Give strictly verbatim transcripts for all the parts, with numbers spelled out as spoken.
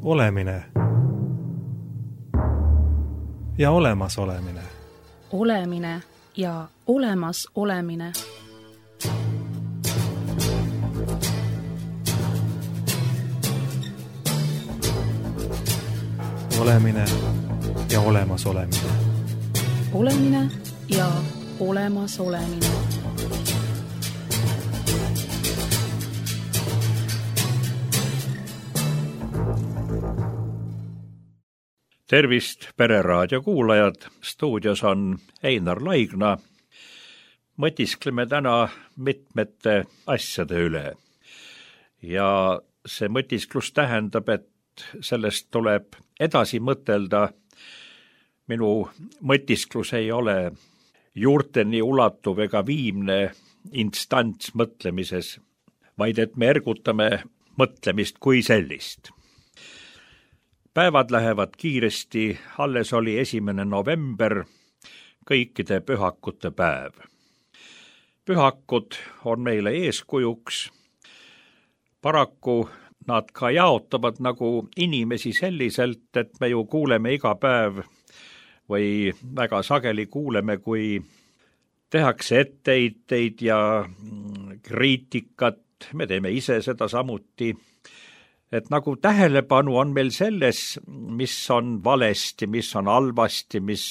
Olemine ja olemas olemine. Olemine ja olemas olemine. Olemine ja olemas olemine. Olemine ja olemas olemine. Tervist, Pereraadio kuulajad! Stuudios on Einar Laigna. Mõtiskleme täna mitmete asjade üle. Ja see mõtisklus tähendab, et sellest tuleb edasi mõtelda. Minu mõtisklus ei ole juurteni ulatuv ega viimne instants mõtlemises, vaid et me ergutame mõtlemist kui sellist. Päevad lähevad kiiresti, alles oli esimene november, kõikide pühakute päev. Pühakud on meile eeskujuks. Paraku nad ka jaotavad nagu inimesi selliselt, et me ju kuuleme iga päev või väga sageli kuuleme, kui tehakse etteheiteid ja kriitikat, me teeme ise seda samuti. Et nagu tähelepanu on meil selles, mis on valesti, mis on halvasti, mis,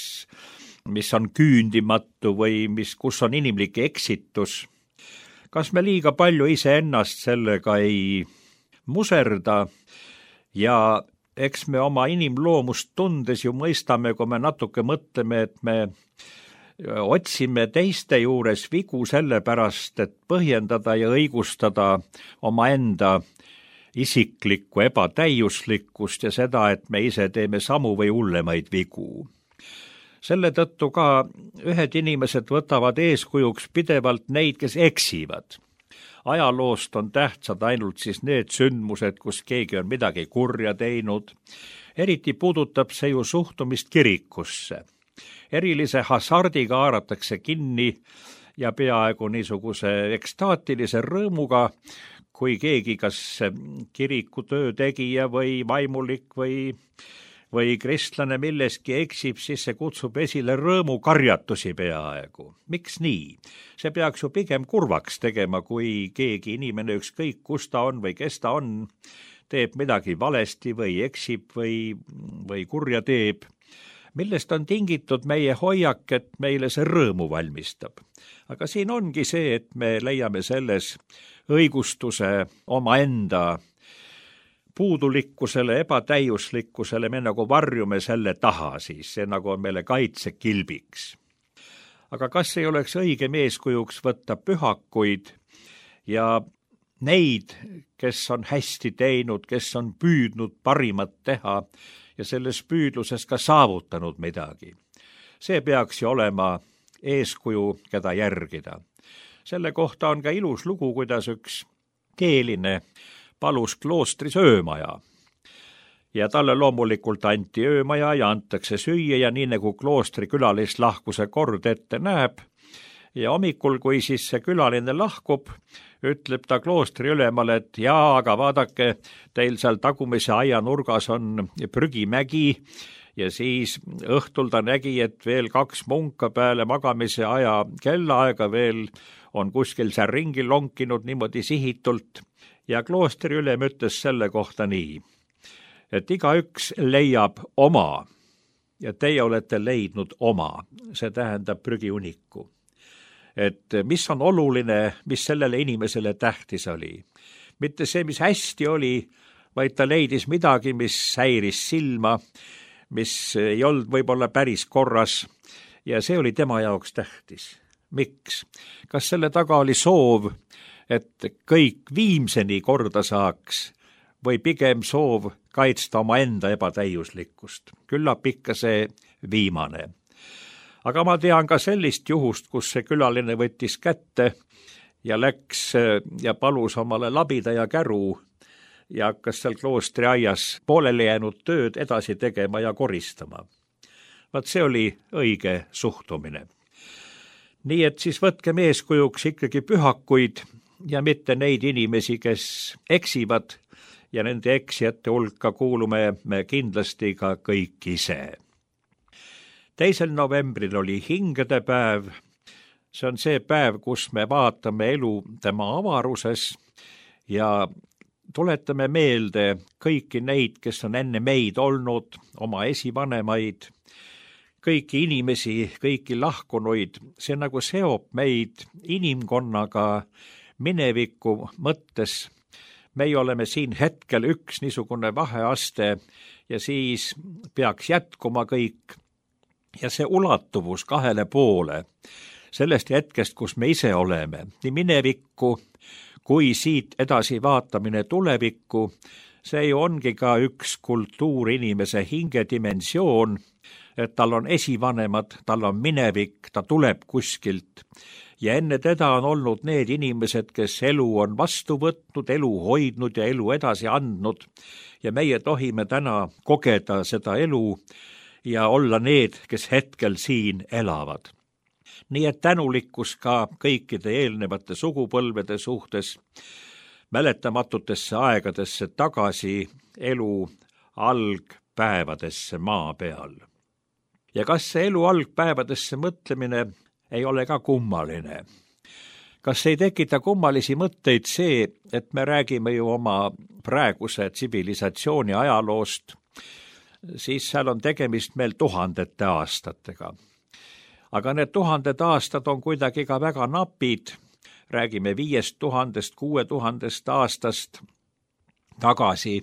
mis on küündimatu või mis, kus on inimlik eksitus. Kas me liiga palju iseennast sellega ei muserda ja eks me oma inimloomust tundes ju mõistame, kui me natuke mõtleme, et me otsime teiste juures vigu sellepärast, et põhjendada ja õigustada oma enda isiklikku ebatäiuslikkust ja seda, et me ise teeme samu või hullemaid vigu. Selle tõttu ka ühed inimesed võtavad eeskujuks pidevalt neid, kes eksivad. Ajaloost on tähtsad ainult siis need sündmused, kus keegi on midagi kurja teinud. Eriti puudutab see ju suhtumist kirikusse. Erilise hasardiga haaratakse kinni ja peaaegu niisuguse ekstaatilise rõõmuga, kui keegi kas kiriku töötegija või vaimulik või, või kristlane milleski eksib, siis see kutsub esile rõõmukarjatusi peaaegu. Miks nii? See peaks ju pigem kurvaks tegema, kui keegi inimene ükskõik kus ta on või kes ta on, teeb midagi valesti või eksib või, või kurja teeb. Millest on tingitud meie hoiak, et meile see rõõmu valmistab. Aga siin ongi see, et me leiame selles õigustuse omaenda puudulikkusele, ebatäiuslikkusele, me nagu varjume selle taha siis, see nagu on meile kaitsekilbiks. Aga kas ei oleks õigem eeskujuks võtta pühakuid ja neid, kes on hästi teinud, kes on püüdnud parimat teha ja selles püüdluses ka saavutanud midagi. See peaks ju olema eeskuju, keda järgida. Selle kohta on ka ilus lugu, kuidas üks keeline palus kloostris öömaja. Ja talle loomulikult anti öömaja ja antakse süüa ja nii nagu kloostri külalislahkuse kord ette näeb. Ja hommikul, kui siis see külaline lahkub, ütleb ta kloostri ülemale, et jaa, aga vaadake, teil seal tagumise aia nurgas on prügimägi ja siis õhtul ta nägi, et veel kaks munka peale magamise aja kellaaega veel on kuskil seal ringi lonkinud niimoodi sihitult ja kloostri ülem ütles selle kohta nii, et igaüks leiab oma ja teie olete leidnud oma, see tähendab prügiuniku. Et mis on oluline, mis sellele inimesele tähtis oli. Mitte see, mis hästi oli, vaid ta leidis midagi, mis häiris silma, mis ei olnud võib-olla päris korras ja see oli tema jaoks tähtis. Miks? Kas selle taga oli soov, et kõik viimseni korda saaks või pigem soov kaitsta oma enda ebatäiuslikkust? Küllap ikka see viimane. Aga ma tean ka sellist juhust, kus see külaline võttis kätte ja läks ja palus omale labida ja käru ja hakkas seal kloostri aias pooleli jäänud tööd edasi tegema ja koristama. Vaat see oli õige suhtumine. Nii et siis võtkem eeskujuks ikkagi pühakuid ja mitte neid inimesi, kes eksivad ja nende eksijate hulka kuulume me kindlasti ka kõik ise. teisel novembril oli hingede päev. See on see päev, kus me vaatame elu tema avaruses ja tuletame meelde kõiki neid, kes on enne meid olnud, oma esivanemaid, kõiki inimesi, kõiki lahkunuid. See nagu seob meid inimkonnaga mineviku mõttes. Meie oleme siin hetkel üks niisugune vaheaste ja siis peaks jätkuma kõik. Ja see ulatuvus kahele poole sellest hetkest, kus me ise oleme, nii minevikku kui siit edasi vaatamine tulevikku, see ongi ka üks kultuurinimese hingedimensioon, et tal on esivanemad, tal on minevik, ta tuleb kuskilt. Ja enne teda on olnud need inimesed, kes elu on vastu võtnud, elu hoidnud ja elu edasi andnud. Ja meie tohime täna kogeda seda elu ja olla need, kes hetkel siin elavad. Nii et tänulikkus ka kõikide eelnevate sugupõlvede suhtes, mäletamatutesse aegadesse tagasi elu algpäevadesse maa peal. Ja kas see elu algpäevadesse mõtlemine ei ole ka kummaline? Kas ei tekita kummalisi mõtteid see, et me räägime ju oma praeguse tsivilisatsiooni ajaloost, siis seal on tegemist meil tuhandete aastatega. Aga need tuhanded aastad on kuidagi ka väga napid, räägime viiest tuhandest, kuue tuhandest aastast tagasi,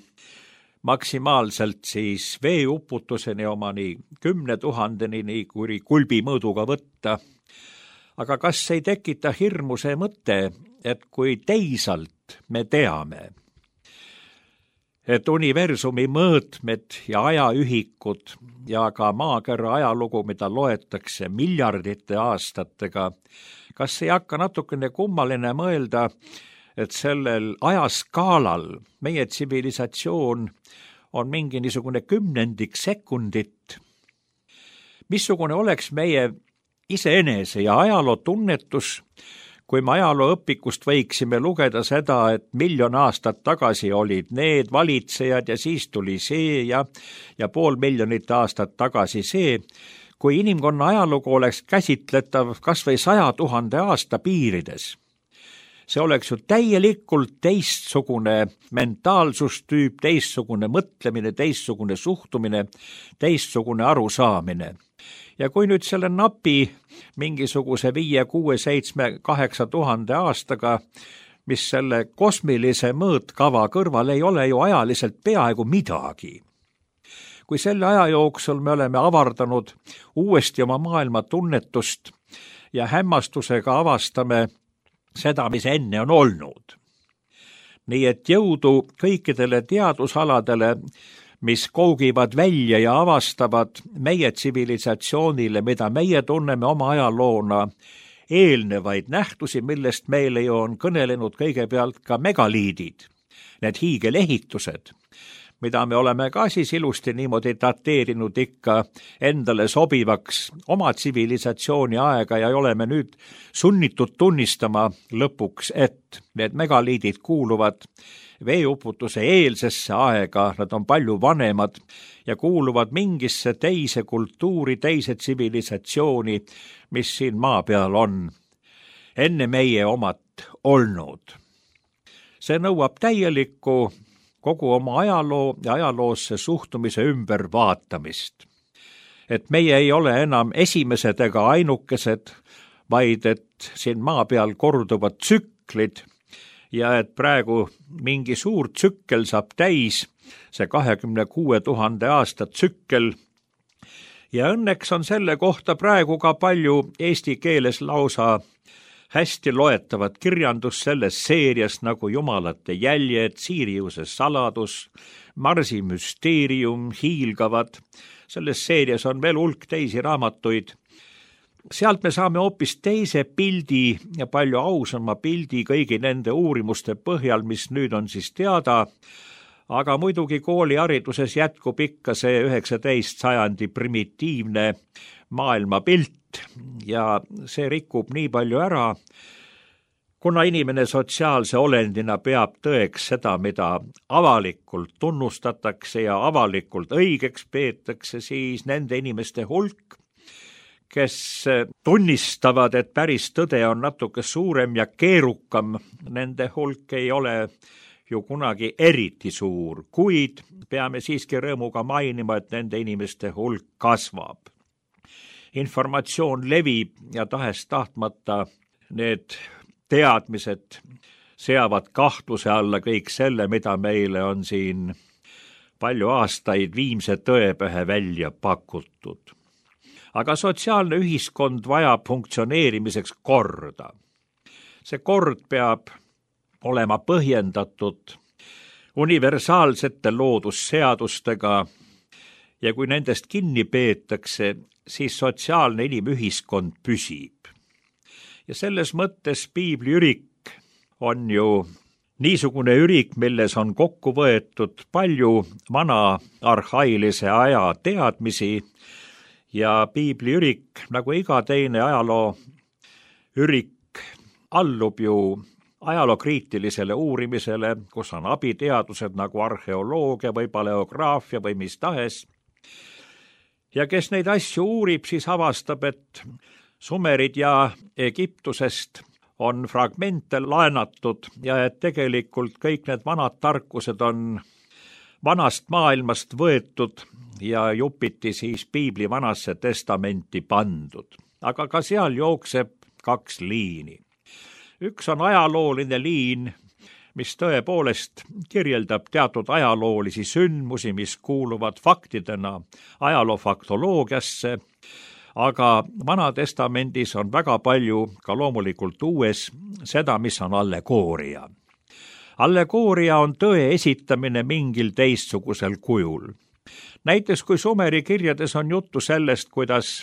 maksimaalselt siis veeuputuseni omani kümne tuhandeni, nii kui kulbi mõõduga võtta. Aga kas ei tekita hirmu see mõte, et kui teisalt me teame, et universumi mõõtmed ja ajaühikud ja ka maakera ajalugu, mida loetakse miljardite aastatega, kas ei hakka natukene kummaline mõelda, et sellel ajaskaalal meie tsivilisatsioon on mingi niisugune kümnendik sekundit? Missugune oleks meie iseenese ja ajaloo tunnetus, kui me ajalooõpikust võiksime lugeda seda, et miljon aastat tagasi olid need valitsejad ja siis tuli see ja, ja pool miljonit aastat tagasi see, kui inimkonna ajalugu oleks käsitletav kas või saja tuhande aasta piirides. See oleks ju täielikult teistsugune mentaalsustüüp, teistsugune mõtlemine, teistsugune suhtumine, teistsugune arusaamine. Ja kui nüüd selle napi mingisuguse viie, kuue, seitsme, kaheksa tuhande aastaga, mis selle kosmilise mõõtkava kõrval ei ole ju ajaliselt peaaegu midagi. Kui selle aja jooksul me oleme avardanud uuesti oma maailma tunnetust ja hämmastusega avastame seda, mis enne on olnud. Nii et jõudu kõikidele teadusaladele, mis kougivad välja ja avastavad meie tsivilisatsioonile, mida meie tunneme oma ajaloona, eelnevaid nähtusi, millest meile ju on kõnelenud kõigepealt ka megaliidid, need hiigelehitused, mida me oleme ka siis ilusti niimoodi dateerinud ikka endale sobivaks oma tsivilisatsiooni aega ja oleme nüüd sunnitud tunnistama lõpuks, et need megaliidid kuuluvad veeuputuse eelsesse aega, nad on palju vanemad ja kuuluvad mingisse teise kultuuri, teise tsivilisatsiooni, mis siin maa peal on enne meie omat olnud. See nõuab täielikku kogu oma ajaloo ja ajaloosse suhtumise ümber vaatamist. Et meie ei ole enam esimesed ega ainukesed, vaid et siin maa peal korduvad tsüklid ja et praegu mingi suur tsükkel saab täis, see kahekümne kuue tuhande aasta tsükkel. Ja õnneks on selle kohta praegu ka palju eesti keeles lausa hästi loetavat kirjandus selles seerias nagu Jumalate jäljed, Siiriuse saladus, Marsi müsteerium, hiilgavad. Selles seerias on veel hulk teisi raamatuid. Sealt me saame hoopis teise pildi ja palju ausama pildi kõigi nende uurimuste põhjal, mis nüüd on siis teada, aga muidugi koolihariduses jätkub ikka see üheksateist sajandi primitiivne maailmapilt ja see rikub nii palju ära, kuna inimene sotsiaalse olendina peab tõeks seda, mida avalikult tunnustatakse ja avalikult õigeks peetakse, siis nende inimeste hulk, kes tunnistavad, et päris tõde on natuke suurem ja keerukam, nende hulk ei ole ju kunagi eriti suur, kuid peame siiski rõõmuga mainima, et nende inimeste hulk kasvab. Informatsioon levib ja tahes-tahtmata need teadmised seavad kahtluse alla kõik selle, mida meile on siin palju aastaid viimse tõepähe välja pakutud. Aga sotsiaalne ühiskond vajab funktsioneerimiseks korda. See kord peab olema põhjendatud universaalsete loodusseadustega ja kui nendest kinni peetakse, siis sotsiaalne inimühiskond püsib. Ja selles mõttes piibli ürik on ju niisugune ürik, milles on kokku võetud palju vana arhailise aja teadmisi ja piibli ürik, nagu iga teine ajaloo ürik, allub ju ajalookriitilisele uurimisele, kus on abiteadused nagu arheoloogia või paleograafia või mis tahes. Ja kes neid asju uurib, siis avastab, et Sumerid ja Egiptusest on fragmente laenatud ja et tegelikult kõik need vanad tarkused on vanast maailmast võetud ja jupiti siis piibli vanasse testamenti pandud. Aga ka seal jookseb kaks liini. Üks on ajalooline liin, mis tõepoolest kirjeldab teatud ajaloolisi sündmusi, mis kuuluvad faktidena ajaloofaktoloogiasse, aga Vanatestamendis on väga palju, ka loomulikult uues, seda, mis on allegooria. Allegooria on tõe esitamine mingil teistsugusel kujul. Näiteks kui Sumeri kirjades on juttu sellest, kuidas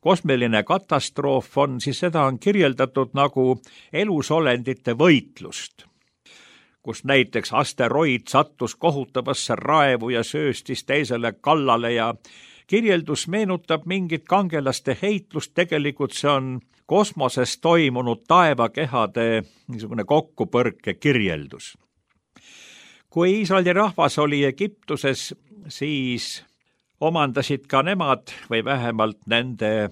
kosmiline katastroof on, siis seda on kirjeldatud nagu elusolendite võitlust, kus näiteks asteroid sattus kohutavasse raevu ja sööstis teisele kallale ja kirjeldus meenutab mingit kangelaste heitlust, tegelikult see on kosmoses toimunud taevakehade niisugune kokkupõrke kirjeldus. Kui Iisraeli rahvas oli Egiptuses, siis omandasid ka nemad või vähemalt nende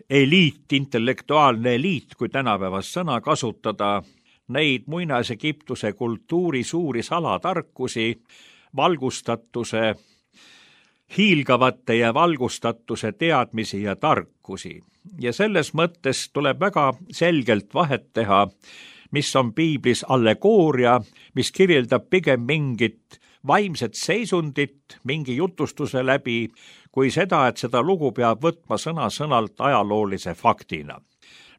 eliit, intellektuaalne eliit, kui tänapäevast sõna kasutada, neid muinas-Egiptuse kultuuri suuri salatarkusi, valgustatuse, hiilgavate ja valgustatuse teadmisi ja tarkusi. Ja selles mõttes tuleb väga selgelt vahet teha, mis on piiblis allegooria, mis kirjeldab pigem mingit vaimset seisundit mingi jutustuse läbi, kui seda, et seda lugu peab võtma sõna-sõnalt ajaloolise faktina.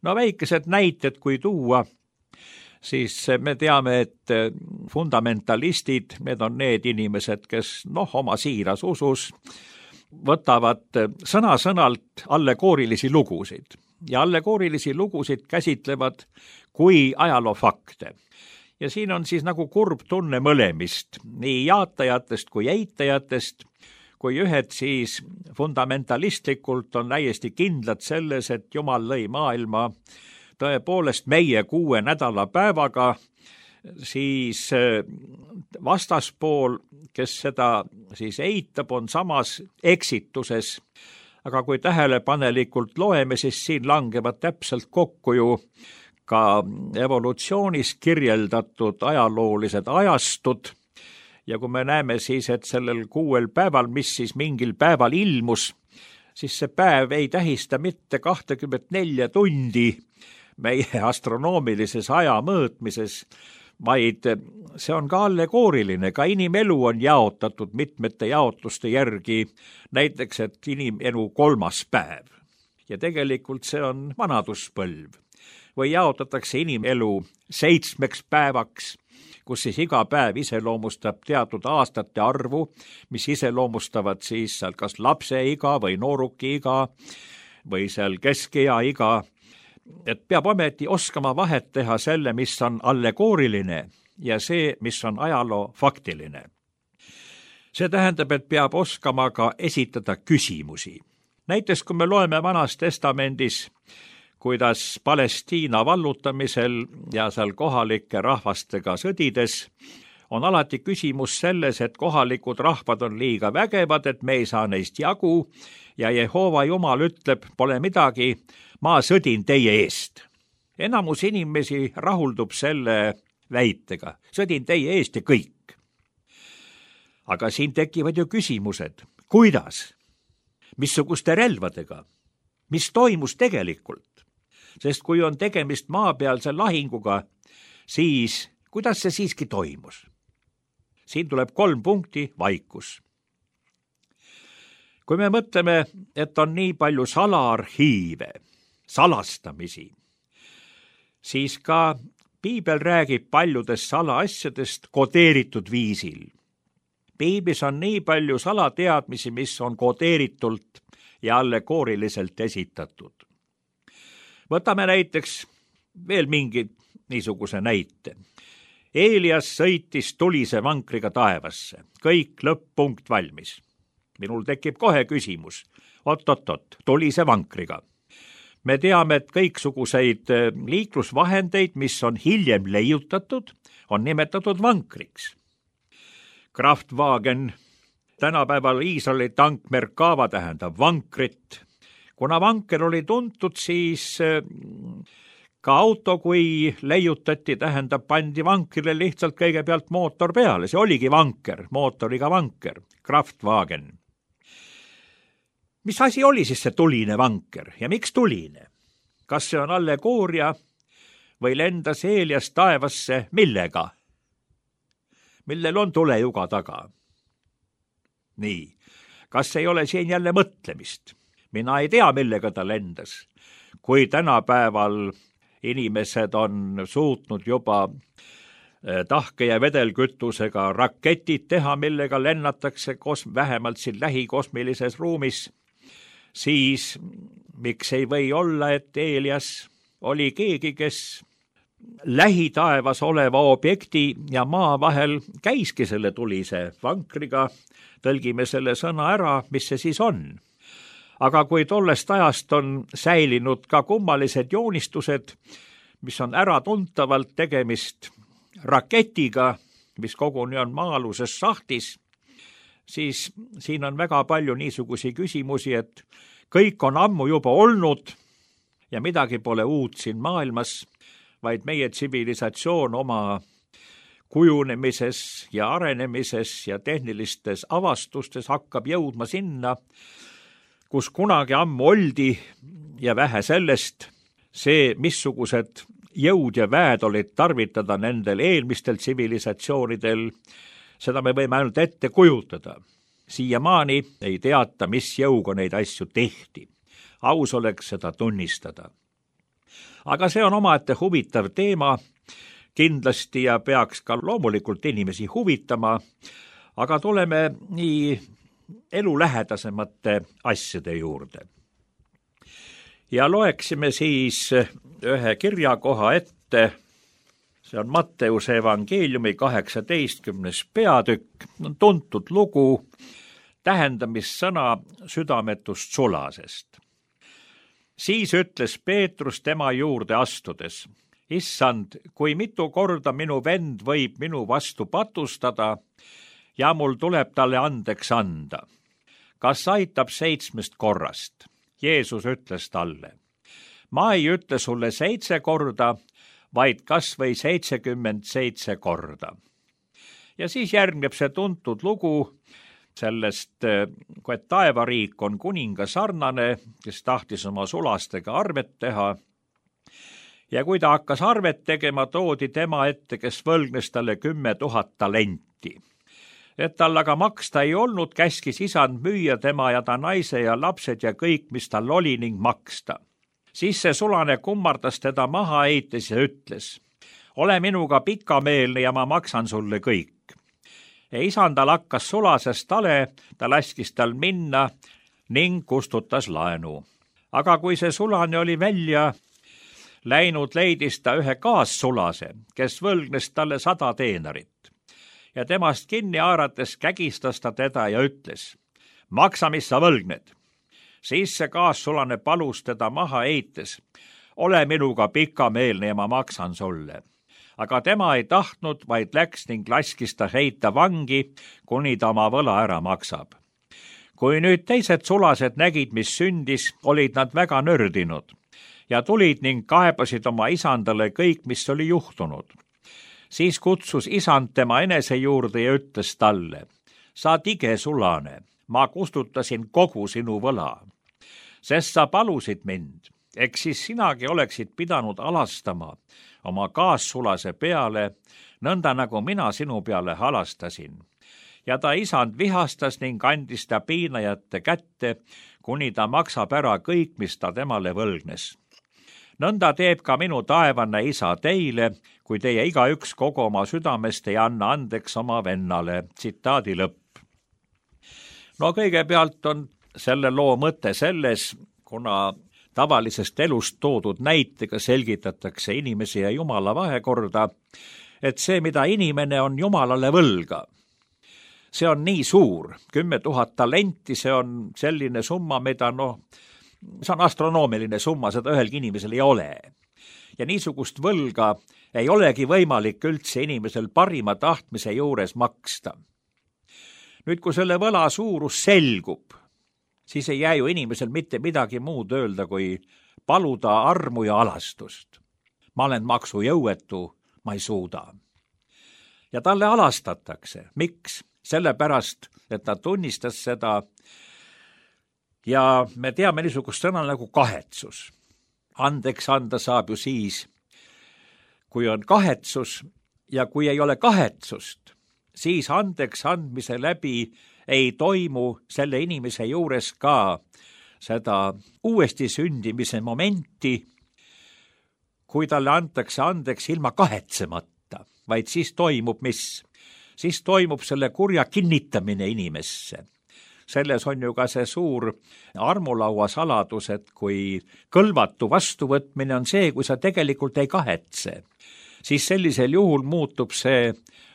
No väikesed näited, kui tuua, siis me teame, et fundamentalistid, need on need inimesed, kes noh, oma siiras usus võtavad sõna-sõnalt allegoorilisi lugusid. Ja allegoorilisi lugusid käsitlevad kui ajaloofakte. Ja siin on siis nagu kurb tunne mõlemist, nii jaatajatest kui eitajatest, kui ühed siis fundamentalistlikult on täiesti kindlad selles, et Jumal lõi maailma tõepoolest meie kuue nädala päevaga, siis vastaspool, kes seda siis eitab, on samas eksituses. Aga kui tähelepanelikult loeme, siis siin langevad täpselt kokku ju ka evolutsioonis kirjeldatud ajaloolised ajastud. Ja kui me näeme siis, et sellel kuuel päeval, mis siis mingil päeval ilmus, siis see päev ei tähista mitte kakskümmend neli tundi meie astronoomilises aja mõõtmises, vaid see on ka allegooriline, ka inimelu on jaotatud mitmete jaotuste järgi, näiteks, et inimelu kolmas päev. Ja tegelikult see on vanaduspõlv. Või jaotatakse inimelu seitsmeks päevaks, kus siis iga päev iseloomustab teatud aastate arvu, mis iseloomustavad siis seal kas lapse iga või nooruki iga või seal keskea iga. Et peab ometi oskama vahet teha selle, mis on allegooriline ja see, mis on ajaloo faktiline. See tähendab, et peab oskama ka esitada küsimusi. Näiteks, kui me loeme Vanas Testamendis, kuidas Palestiina vallutamisel ja seal kohalike rahvastega sõdides on alati küsimus selles, et kohalikud rahvad on liiga vägevad, et me ei saa neist jagu ja Jehova Jumal ütleb, pole midagi, ma sõdin teie eest. Enamus inimesi rahuldub selle väitega, sõdin teie eest ja kõik. Aga siin tekivad ju küsimused, kuidas, missuguste relvadega, mis toimus tegelikult, sest kui on tegemist maapealse lahinguga, siis kuidas see siiski toimus? Siin tuleb kolm punkti, vaikus. Kui me mõtleme, et on nii palju salaarhiive, salastamisi, siis ka Piibel räägib paljudest salaasjadest kodeeritud viisil. Piiblis on nii palju salateadmisi, mis on kodeeritult ja allegooriliselt esitatud. Võtame näiteks veel mingi niisuguse näite. Eelias sõitis tulise vankriga taevasse. Kõik lõpp-punkt valmis. Minul tekib kohe küsimus. Oot-oot-oot, tulise vankriga. Me teame, et kõiksuguseid liiklusvahendeid, mis on hiljem leiutatud, on nimetatud vankriks. Kraftwagen, tänapäeval Iisraeli tank Merkava tähendab vankrit. Kuna vanker oli tuntud, siis ka auto, kui leiutati, tähendab, pandi vankrile lihtsalt kõigepealt mootor peale. See oligi vanker, mootoriga vanker, Kraftwagen. Mis asi oli siis see tuline vanker ja miks tuline? Kas see on allegooria või lendas Eelias taevasse millega? Millel on tulejuga taga? Nii, kas ei ole siin jälle mõtlemist? Mina ei tea, millega ta lendas. Kui tänapäeval inimesed on suutnud juba tahke- ja vedelkütusega raketid teha, millega lennatakse kos- vähemalt siin lähikosmilises ruumis, siis miks ei või olla, et Eelias oli keegi, kes lähitaevas oleva objekti ja maa vahel käiski selle tulise vankriga, tõlgime selle sõna ära, mis see siis on. Aga kui tollest ajast on säilinud ka kummalised joonistused, mis on äratuntavalt tegemist raketiga, mis koguni on maa-aluses sahtis, siis siin on väga palju niisugusi küsimusi, et kõik on ammu juba olnud ja midagi pole uut siin maailmas, vaid meie tsivilisatsioon oma kujunemises ja arenemises ja tehnilistes avastustes hakkab jõudma sinna, kus kunagi ammu oldi ja vähe sellest, see, missugused jõud ja väed olid tarvitada nendel eelmistel tsivilisatsioonidel, seda me võime ainult ette kujutada. Siiamaani ei teata, mis jõuga neid asju tehti. Aus oleks seda tunnistada. Aga see on omaette huvitav teema kindlasti ja peaks ka loomulikult inimesi huvitama, aga tuleme nii elulähedasemate asjade juurde. Ja loeksime siis ühe kirjakoha ette, see on Matteuse evangeeliumi kaheksateistkümnes peatükk, on tuntud lugu tähendamissõna südametust sulasest. Siis ütles Peetrus tema juurde astudes, issand, kui mitu korda minu vend võib minu vastu patustada ja mul tuleb talle andeks anda. Kas aitab seitsmest korrast? Jeesus ütles talle, ma ei ütle sulle seitse korda, vaid kas või seitsekümmend seitse korda. Ja siis järgneb see tuntud lugu sellest, kui taevariik on kuninga sarnane, kes tahtis oma sulastega arvet teha. Ja kui ta hakkas arvet tegema, toodi tema ette, kes võlgnes talle kümme tuhat talenti. Et tal aga maksta ei olnud, käskis isand müüa tema ja ta naise ja lapsed ja kõik, mis tal oli ning maksta. Siis see sulane kummardas teda maha heites ja ütles, ole minuga pikameelne ja ma maksan sulle kõik. Ja isandal hakkas sulasest tale, ta laskis tal minna ning kustutas laenu. Aga kui see sulane oli välja läinud, leidis ta ühe kaassulase, kes võlgnes talle sada teenarit. Ja temast kinni haarates kägistas ta teda ja ütles, maksa, mis sa võlgned. Siis see kaassulane palus teda maha heites, ole minuga pikameelne ja ma maksan sulle. Aga tema ei tahtnud, vaid läks ning laskis ta heita vangi, kuni ta oma võla ära maksab. Kui nüüd teised sulased nägid, mis sündis, olid nad väga nördinud ja tulid ning kaebasid oma isandale kõik, mis oli juhtunud. Siis kutsus isand tema enese juurde ja ütles talle, sa tige sulane, ma kustutasin kogu sinu võla, sest sa palusid mind, eks siis sinagi oleksid pidanud alastama oma kaassulase peale, nõnda nagu mina sinu peale halastasin. Ja ta isand vihastas ning andis ta piinajate kätte, kuni ta maksab ära kõik, mis ta temale võlgnes. Nõnda teeb ka minu taevane isa teile, kui teie igaüks kogu oma südamest ei anna andeks oma vennale. Tsitaadi lõpp. No kõigepealt on selle loo mõte selles, kuna tavalisest elust toodud näitega selgitatakse inimese ja Jumala vahekorda, et see, mida inimene on Jumalale võlga, see on nii suur, kümme tuhat talenti, see on selline summa, mida noh, see on astronoomiline summa, seda ühelgi inimesel ei ole. Ja niisugust võlga ei olegi võimalik üldse inimesel parima tahtmise juures maksta. Nüüd, kui selle võla suurus selgub, siis ei jää ju inimesel mitte midagi muud öelda, kui paluda armu ja alastust. Ma olen maksujõuetu, ma ei suuda. Ja talle alastatakse. Miks? Sellepärast, et ta tunnistas seda ja me teame niisugust sõna nagu kahetsus. Andeks anda saab ju siis, kui on kahetsus ja kui ei ole kahetsust, siis andeks andmise läbi ei toimu selle inimese juures ka seda uuesti sündimise momenti, kui talle antakse andeks ilma kahetsemata, vaid siis toimub mis? Siis toimub selle kurja kinnitamine inimesse. Selles on ju ka see suur armulaua saladus, et kui kõlvatu vastuvõtmine on see, kui sa tegelikult ei kahetse, siis sellisel juhul muutub see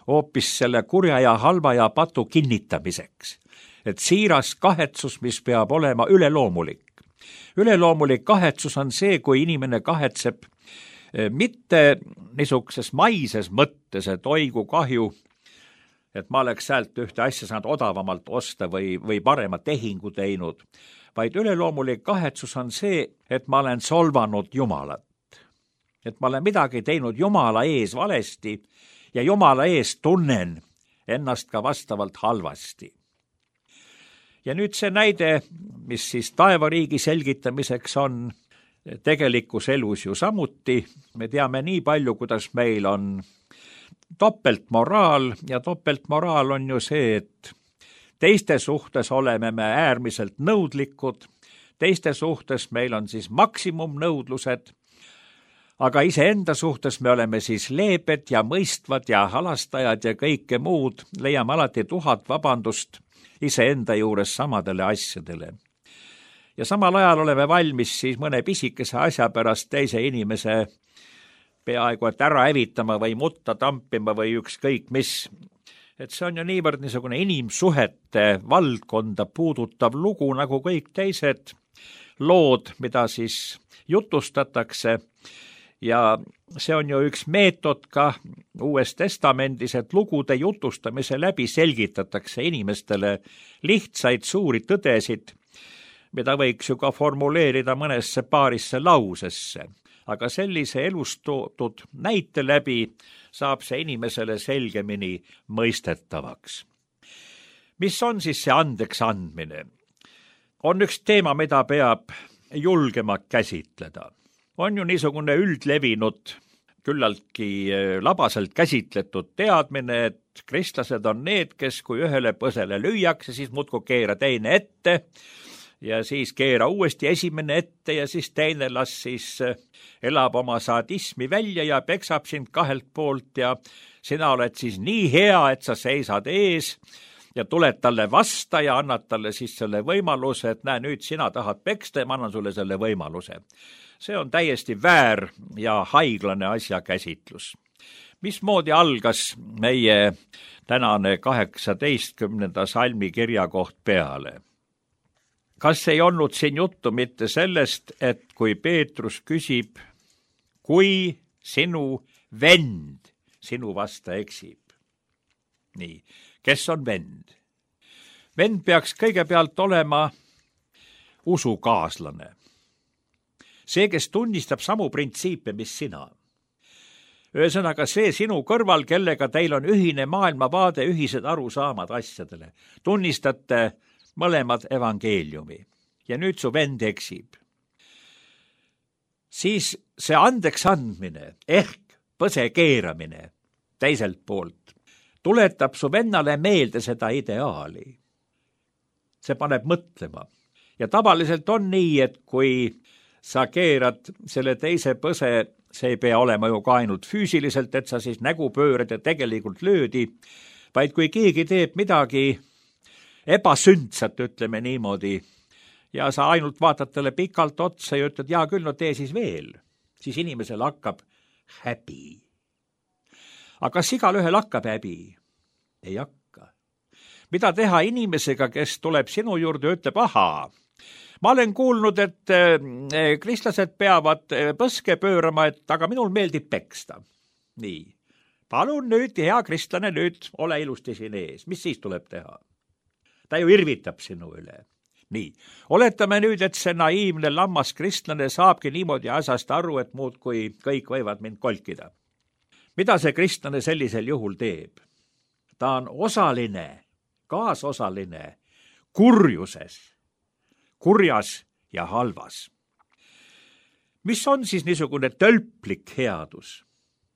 hoopis selle kurja ja halva ja patu kinnitamiseks. Et siiras kahetsus, mis peab olema üleloomulik. Üleloomulik kahetsus on see, kui inimene kahetseb mitte niisuguses maises mõttes, et oigu kahju, et ma oleks sealt ühte asja saanud odavamalt osta või, või parema tehingu teinud, vaid üleloomulik kahetsus on see, et ma olen solvanud Jumalat. Et ma olen midagi teinud Jumala ees valesti ja Jumala ees tunnen ennast ka vastavalt halvasti. Ja nüüd see näide, mis siis taevariigi selgitamiseks on, tegelikus elus ju samuti. Me teame nii palju, kuidas meil on topeltmoraal ja topeltmoraal on ju see, et teiste suhtes oleme me äärmiselt nõudlikud, teiste suhtes meil on siis maksimumnõudlused, aga iseenda suhtes me oleme siis leebed ja mõistvad ja halastajad ja kõike muud, leiame alati tuhat vabandust iseenda juures samadele asjadele. Ja samal ajal oleme valmis siis mõne pisikese asja pärast teise inimese peaaegu et ära evitama või mutta tampima või ükskõik mis. Et see on ju niivõrd niisugune inimsuhete valdkonda puudutav lugu nagu kõik teised lood, mida siis jutustatakse. Ja see on ju üks meetod ka Uues Testamendis, et lugude jutustamise läbi selgitatakse inimestele lihtsaid suuri tõdesid, mida võiks ju ka formuleerida mõnesse paarisse lausesse. Aga sellise elust toodud näite läbi saab see inimesele selgemini mõistetavaks. Mis on siis see andeks andmine? On üks teema, mida peab julgema käsitleda. On ju niisugune üldlevinud, küllaltki labaselt käsitletud teadmine, et kristlased on need, kes kui ühele põsele lüüakse, siis muudkui keera teine ette, ja siis keera uuesti esimene ette ja siis teine las siis elab oma sadismi välja ja peksab sind kahelt poolt ja sina oled siis nii hea, et sa seisad ees ja tuled talle vasta ja annad talle siis selle võimaluse, et näe, nüüd sina tahad peksta ja ma annan sulle selle võimaluse. See on täiesti väär ja haiglane asja käsitlus. Mismoodi algas meie tänane kaheksateistkümnenda salmi kirja koht peale? kas ei olnud siin juttu mitte sellest, et kui Peetrus küsib, kui sinu vend sinu vasta eksib? Nii, kes on vend? Vend peaks kõigepealt olema usukaaslane. See, kes tunnistab samu printsiipe, mis sina. Ühesõnaga see sinu kõrval, kellega teil on ühine maailmavaade, ühised arusaamad asjadele. Tunnistate mõlemad evangeeliumi ja nüüd su vend eksib. Siis see andeks andmine ehk põse keeramine teiselt poolt tuletab su vennale meelde seda ideaali. See paneb mõtlema. Ja tavaliselt on nii, et kui sa keerad selle teise põse, see ei pea olema ju ka ainult füüsiliselt, et sa siis nägu pöörad ja tegelikult löödi, vaid kui keegi teeb midagi ebasündsat, ütleme niimoodi, ja sa ainult vaatad talle pikalt otsa ja ütled, jaa küll, no tee siis veel, siis inimesel hakkab häbi. Aga kas igal ühel hakkab häbi? Ei hakka. Mida teha inimesega, kes tuleb sinu juurde ja ütleb, ahaa, ma olen kuulnud, et kristlased peavad põske pöörama, et aga minul meeldib peksta. Nii, palun nüüd, hea kristlane, nüüd ole ilusti siin ees. Mis siis tuleb teha? Ta ju irvitab sinu üle. Nii, oletame nüüd, et see naiivne lammas kristlane saabki niimoodi asjast aru, et muud kui kõik võivad mind kolkida. Mida see kristlane sellisel juhul teeb? Ta on osaline, kaasosaline kurjuses, kurjas ja halvas. Mis on siis niisugune tölplik headus?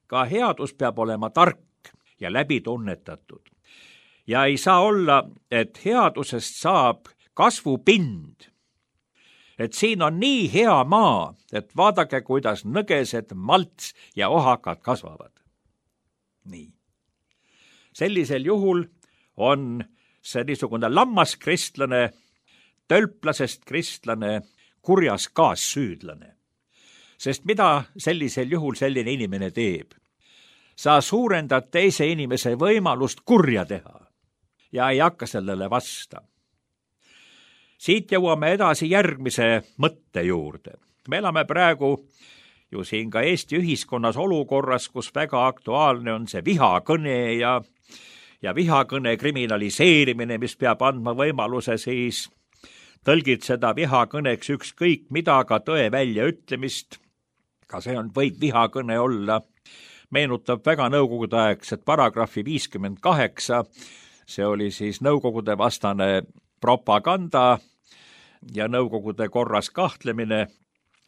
Ka headus peab olema tark ja läbi tunnetatud. Ja ei saa olla, et headusest saab kasvupind. Et siin on nii hea maa, et vaadake, kuidas nõgesed, malts ja ohakad kasvavad. Nii. Sellisel juhul on see niisugune lammas kristlane, tölplasest kristlane, kurjas kaassüüdlane. Sest mida sellisel juhul selline inimene teeb? Sa suurendad teise inimese võimalust kurja teha ja ei hakka sellele vasta. Siit jõuame edasi järgmise mõtte juurde. Me elame praegu ju siin ka Eesti ühiskonnas olukorras, kus väga aktuaalne on see vihakõne ja, ja vihakõne kriminaliseerimine, mis peab andma võimaluse siis tõlgid seda vihakõneks ükskõik mida, ka tõe väljaütlemist. Ka see on, võib vihakõne olla. Meenutab väga nõukogudeaegset paragrahvi viiskümmend kaheksa. See oli siis nõukogude vastane propaganda ja nõukogude korras kahtlemine.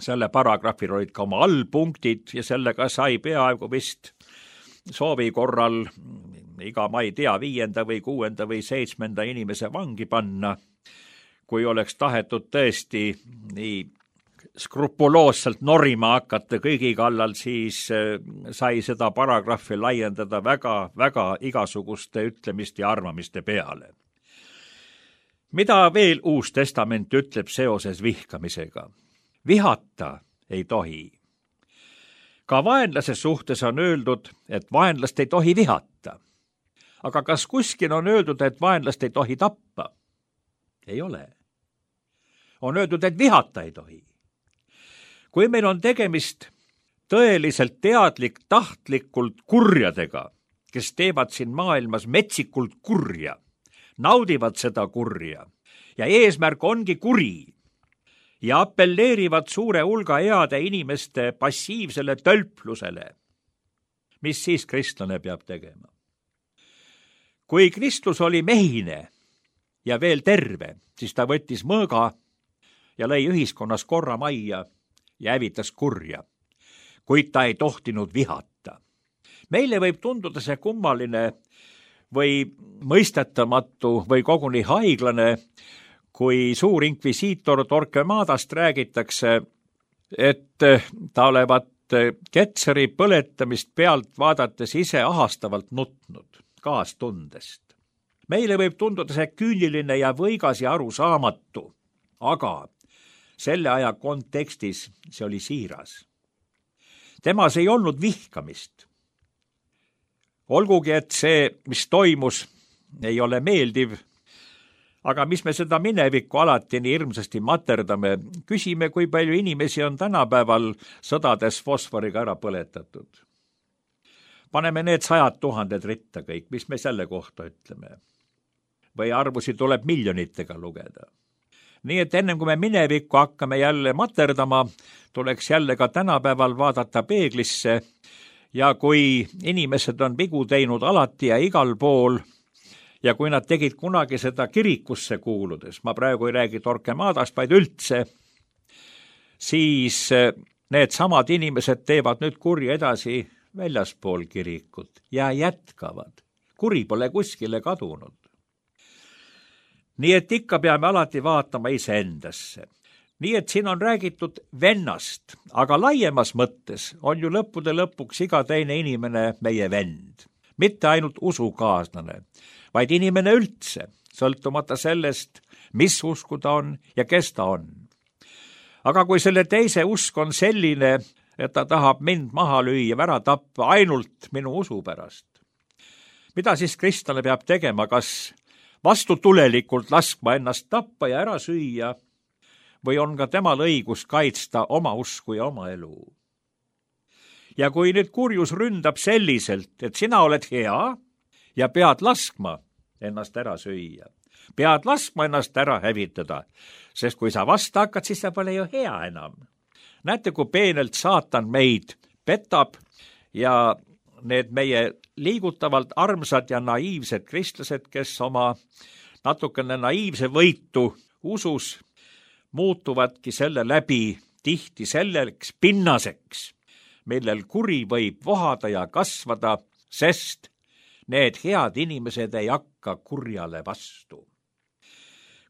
Selle paragrahvil olid ka oma allpunktid ja sellega sai peaaegu vist soovi korral iga, ma ei tea, viienda või kuuenda või seitsmenda inimese vangi panna. Kui oleks tahetud tõesti nii skrupuloosselt norima hakata kõigi kallal, siis sai seda paragrahvi laiendada väga, väga igasuguste ütlemiste ja arvamiste peale. Mida veel Uus Testament ütleb seoses vihkamisega? Vihata ei tohi. Ka vaenlase suhtes on öeldud, et vaenlast ei tohi vihata. Aga kas kuskil on öeldud, et vaenlast ei tohi tappa? Ei ole. On öeldud, et vihata ei tohi. Kui meil on tegemist tõeliselt teadlik, tahtlikult kurjadega, kes teevad siin maailmas metsikult kurja, naudivad seda kurja ja eesmärk ongi kuri ja appelleerivad suure hulga heade inimeste passiivsele tölplusele, mis siis kristlane peab tegema? Kui Kristus oli mehine ja veel terve, siis ta võttis mõõga ja lõi ühiskonnas korra majja ja hävitas kurja, kuid ta ei tohtinud vihata. Meile võib tunduda see kummaline või mõistetamatu või koguni haiglane, kui suur inkvisiitor Torquemadast räägitakse, et ta olevat Ketseri põletamist pealt vaadates ise ahastavalt nutnud kaastundest. Meile võib tunduda see küüniline ja võigas ja arusaamatu, aga selle aja kontekstis see oli siiras. Temas ei olnud vihkamist. Olgugi, et see, mis toimus, ei ole meeldiv, aga mis me seda minevikku alati nii hirmsasti materdame, küsime, kui palju inimesi on tänapäeval sõdades fosforiga ära põletatud. Paneme need sajad tuhanded ritta kõik, mis me selle kohta ütleme. Või arvusi tuleb miljonitega lugeda. Nii et ennem kui me minevikku hakkame jälle materdama, tuleks jälle ka tänapäeval vaadata peeglisse ja kui inimesed on vigu teinud alati ja igal pool ja kui nad tegid kunagi seda kirikusse kuuludes, ma praegu ei räägi Torquemadast, vaid üldse, siis need samad inimesed teevad nüüd kurja edasi väljaspool kirikut ja jätkavad. Kuri pole kuskile kadunud. Nii et ikka peame alati vaatama iseendasse. Nii et siin on räägitud vennast, aga laiemas mõttes on ju lõppude lõpuks iga teine inimene meie vend. Mitte ainult usukaaslane, vaid inimene üldse, sõltumata sellest, mis usku ta on ja kes ta on. Aga kui selle teise usk on selline, et ta tahab mind maha lüüa, ära tappa ainult minu usu pärast, mida siis kristlane peab tegema, kas vastutulelikult laskma ennast tappa ja ära süüa või on ka temal õigus kaitsta oma usku ja oma elu? Ja kui nüüd kurjus ründab selliselt, et sina oled hea ja pead laskma ennast ära süüa, pead laskma ennast ära hävitada, sest kui sa vasta hakkad, siis sa pole ju hea enam. Näete, kui peenelt saatan meid petab ja need meie liigutavalt armsad ja naiivsed kristlased, kes oma natukene naiivse võitu usus muutuvadki selle läbi tihti selleks pinnaseks, millel kuri võib vohada ja kasvada, sest need head inimesed ei hakka kurjale vastu.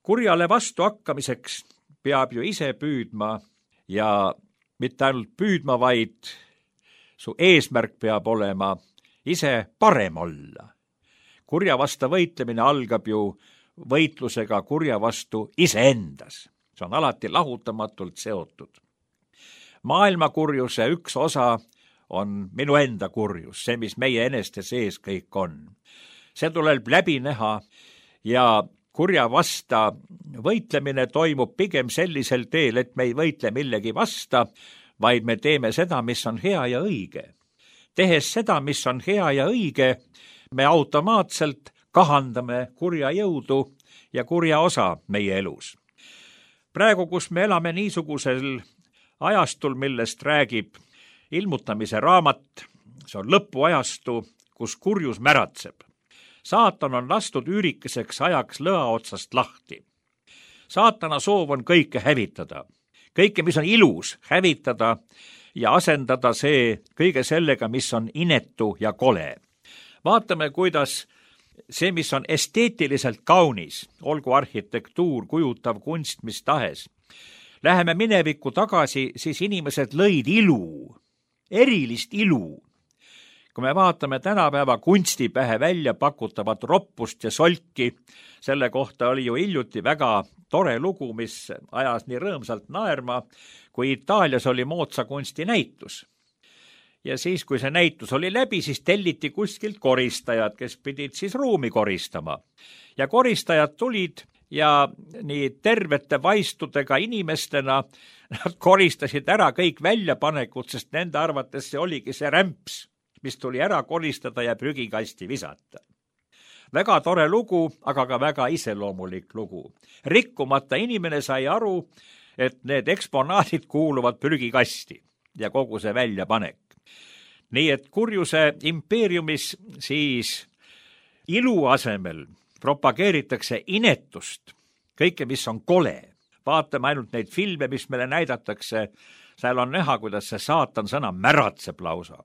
Kurjale vastu hakkamiseks peab ju ise püüdma ja mitte ainult püüdma, vaid su eesmärk peab olema ise parem olla. Kurja vastu võitlemine algab ju võitlusega kurja vastu iseendas. See on alati lahutamatult seotud. Maailma kurjuse üks osa on minu enda kurjus, see, mis meie eneste sees kõik on. See tuleb läbi näha ja kurja vasta võitlemine toimub pigem sellisel teel, et me ei võitle millegi vasta, vaid me teeme seda, mis on hea ja õige. Tehes seda, mis on hea ja õige, me automaatselt kahandame kurja jõudu ja kurja osa meie elus. Praegu, kus me elame niisugusel ajastul, millest räägib ilmutamise raamat, see on lõpuajastu, kus kurjus märatseb. Saatan on lastud üürikeseks ajaks lõa otsast lahti. Saatana soov on kõike hävitada. Kõike, mis on ilus, hävitada ja asendada see kõige sellega, mis on inetu ja kole. Vaatame, kuidas see, mis on esteetiliselt kaunis, olgu arhitektuur, kujutav kunst, mis tahes. Läheme minevikku tagasi, siis inimesed lõid ilu, erilist ilu. Kui me vaatame tänapäeva kunstipähe välja pakutavat roppust ja solki, selle kohta oli ju hiljuti väga tore lugu, mis ajas nii rõõmsalt naerma, kui Itaalias oli moodsa kunsti näitus. Ja siis, kui see näitus oli läbi, siis telliti kuskilt koristajad, kes pidid siis ruumi koristama. Ja koristajad tulid ja nii tervete vaistudega inimestena nad koristasid ära kõik väljapanekud, sest nende arvates see oligi see rämps, mis tuli ära koristada ja prügikasti visata. Väga tore lugu, aga ka väga iseloomulik lugu. Rikkumata inimene sai aru, et need eksponaadid kuuluvad prügikasti ja kogu see väljapanek. Nii et kurjuse impeeriumis siis ilu asemel propageeritakse inetust, kõike, mis on kole. Vaatame ainult neid filme, mis meile näidatakse, seal on näha, kuidas see saatan sõna märatseb lausa.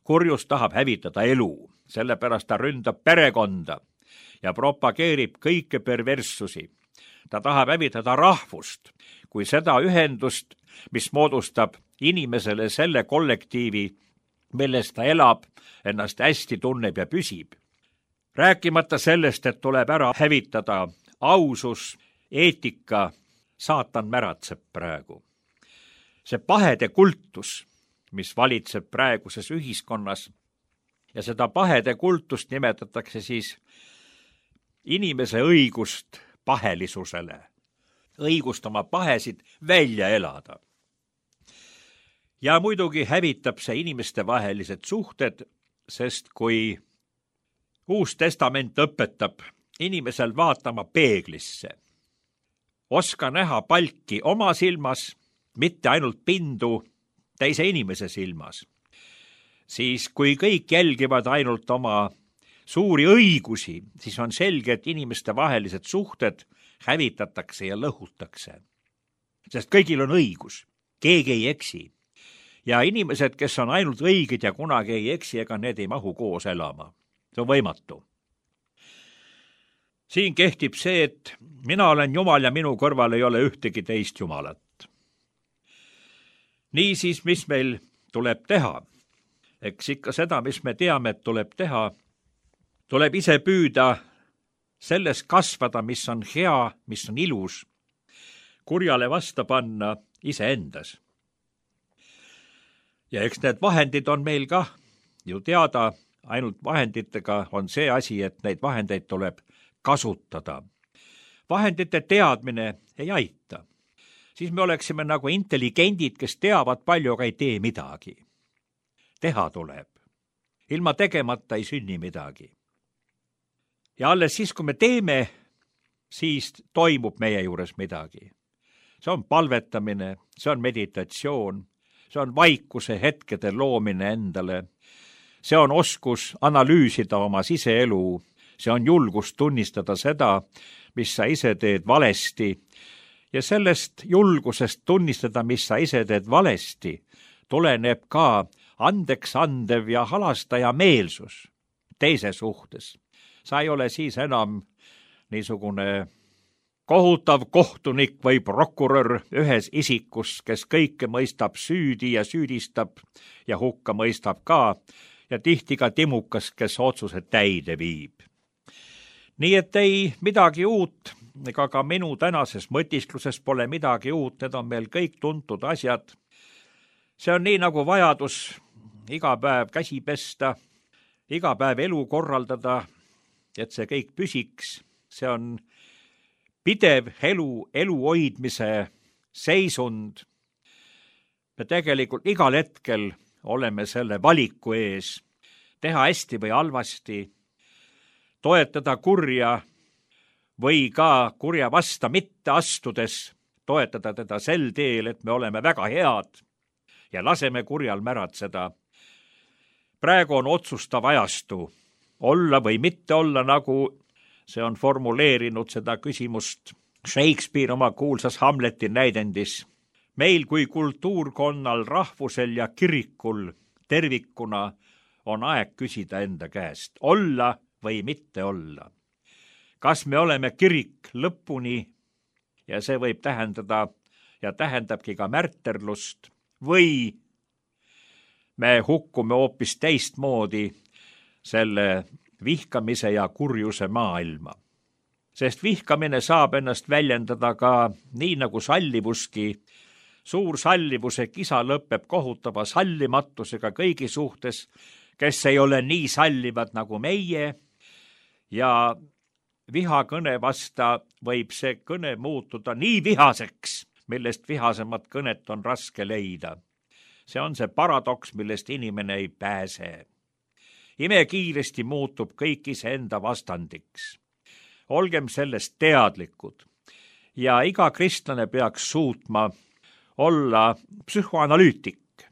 Kurjus tahab hävitada elu, sellepärast ta ründab perekonda ja propageerib kõike perverssusi. Ta tahab hävitada rahvust, kui seda ühendust, mis moodustab inimesele selle kollektiivi, milles ta elab, ennast hästi tunneb ja püsib. Rääkimata sellest, et tuleb ära hävitada ausus, eetika, saatan märatseb praegu. See pahede kultus, mis valitseb praeguses ühiskonnas ja seda pahede kultust nimetatakse siis inimese õigust pahelisusele, õigust oma pahesid välja elada. Ja muidugi hävitab see inimeste vahelised suhted, sest kui Uus Testament õpetab inimesel vaatama peeglisse, oska näha palki oma silmas, mitte ainult pindu teise inimese silmas, siis kui kõik jälgivad ainult oma suuri õigusi, siis on selge, et inimeste vahelised suhted hävitatakse ja lõhutakse. Sest kõigil on õigus, keegi ei eksi. Ja inimesed, kes on ainult õiged ja kunagi ei eksi, ega need ei mahu koos elama. See on võimatu. Siin kehtib see, et mina olen Jumal ja minu kõrval ei ole ühtegi teist Jumalat. Niisiis, mis meil tuleb teha? Eks ikka seda, mis me teame, et tuleb teha, tuleb ise püüda selles kasvada, mis on hea, mis on ilus, kurjale vasta panna iseendas. Ja eks need vahendid on meil ka ju teada, ainult vahenditega on see asi, et neid vahendeid tuleb kasutada. Vahendite teadmine ei aita. Siis me oleksime nagu intelligendid, kes teavad palju, aga ei tee midagi. Teha tuleb. Ilma tegemata ei sünni midagi. Ja alles siis, kui me teeme, siis toimub meie juures midagi. See on palvetamine, see on meditatsioon, see on vaikuse hetkede loomine endale, see on oskus analüüsida oma siseelu, see on julgus tunnistada seda, mis sa ise teed valesti, ja sellest julgusest tunnistada, mis sa ise teed valesti, tuleneb ka andeks andev ja halastaja meelsus teise suhtes. Sa ei ole siis enam niisugune kohutav kohtunik või prokurör ühes isikus, kes kõike mõistab süüdi ja süüdistab ja hukka mõistab ka ja tihti ka timukas, kes otsused täide viib. Nii et ei midagi uut, ega ka minu tänases mõtiskluses pole midagi uut, need on meil kõik tuntud asjad. See on nii nagu vajadus iga päev käsi pesta, iga päev elu korraldada, et see kõik püsiks. See on pidev elu, elu hoidmise seisund. Me tegelikult igal hetkel oleme selle valiku ees, teha hästi või halvasti, toetada kurja või ka kurja vasta mitte astudes, toetada teda sel teel, et me oleme väga head ja laseme kurjal märatseda. Praegu on otsustav ajastu, olla või mitte olla, nagu see on formuleerinud seda küsimust Shakespeare oma kuulsas Hamleti näidendis. Meil kui kultuurkonnal, rahvusel ja kirikul tervikuna on aeg küsida enda käest, olla või mitte olla. Kas me oleme kirik lõpuni ja see võib tähendada ja tähendabki ka märterlust või me hukkume hoopis teistmoodi selle vihkamise ja kurjuse maailma. Sest vihkamine saab ennast väljendada ka nii nagu sallivuski. Suur sallivuse kisa lõpeb kohutava sallimatusega kõigi suhtes, kes ei ole nii sallivad nagu meie, ja vihakõne vasta võib see kõne muutuda nii vihaseks, millest vihasemat kõnet on raske leida. See on see paradoks, millest inimene ei pääse. Imekiiresti muutub kõik iseenda vastandiks. Olgem sellest teadlikud ja iga kristlane peaks suutma olla psühhoanalüütik.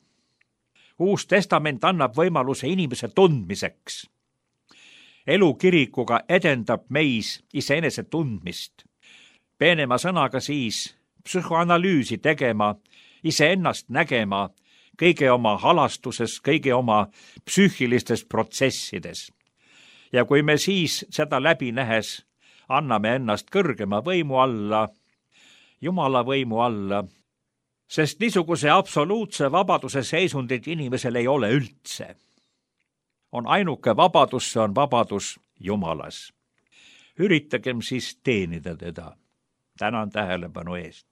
Uus Testament annab võimaluse inimese tundmiseks. Elu kirikuga edendab meis iseenese tundmist. Peenema sõnaga siis psühhoanalüüsi tegema, iseennast nägema, kõige oma halastuses, kõige oma psüühilistes protsessides. Ja kui me siis seda läbi nähes anname ennast kõrgema võimu alla, Jumala võimu alla, sest niisuguse absoluutse vabaduse seisundit inimesel ei ole üldse. On ainuke vabadus, see on vabadus Jumalas. Üritagem siis teenida teda. Tänan tähelepanu eest.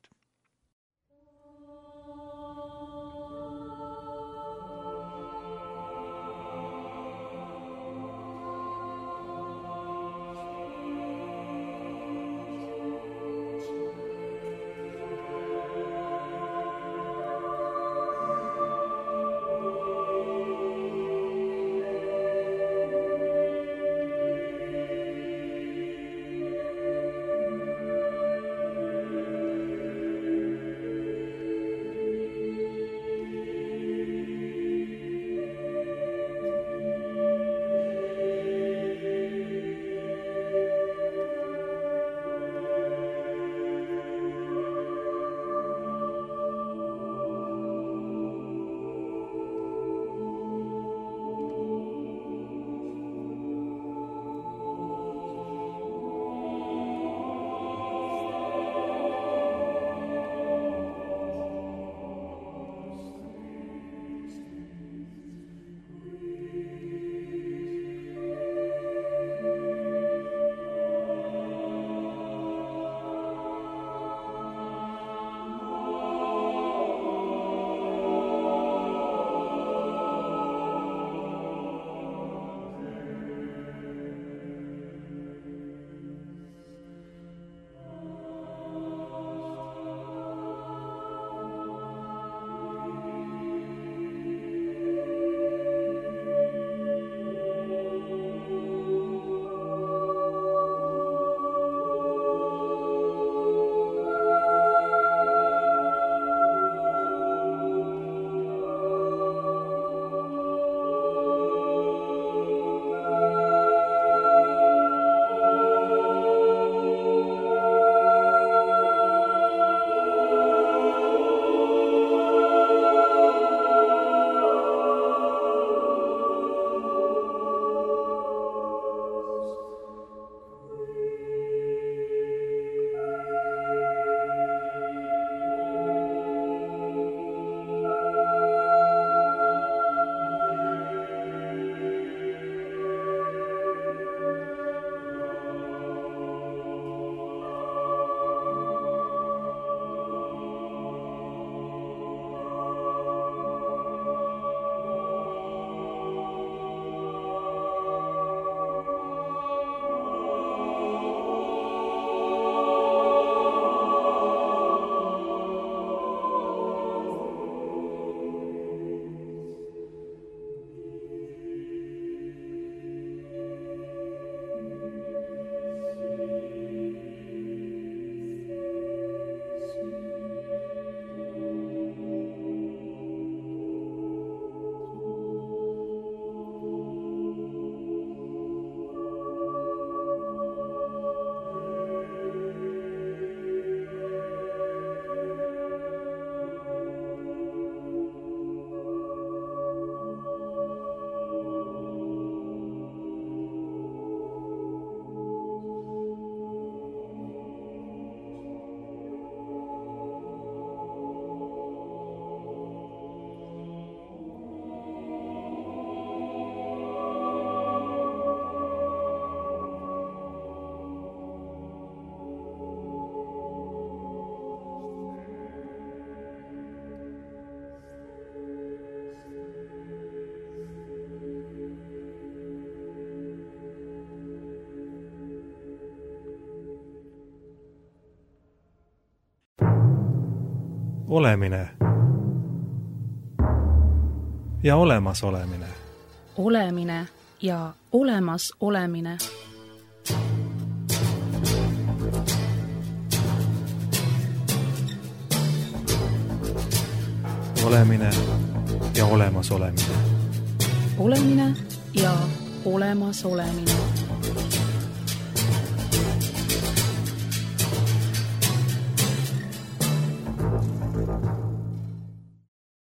olemine ja olemasolemine. Olemine ja olemas olemine. Olemine ja olemas olemine. Olemine ja olemas olemine.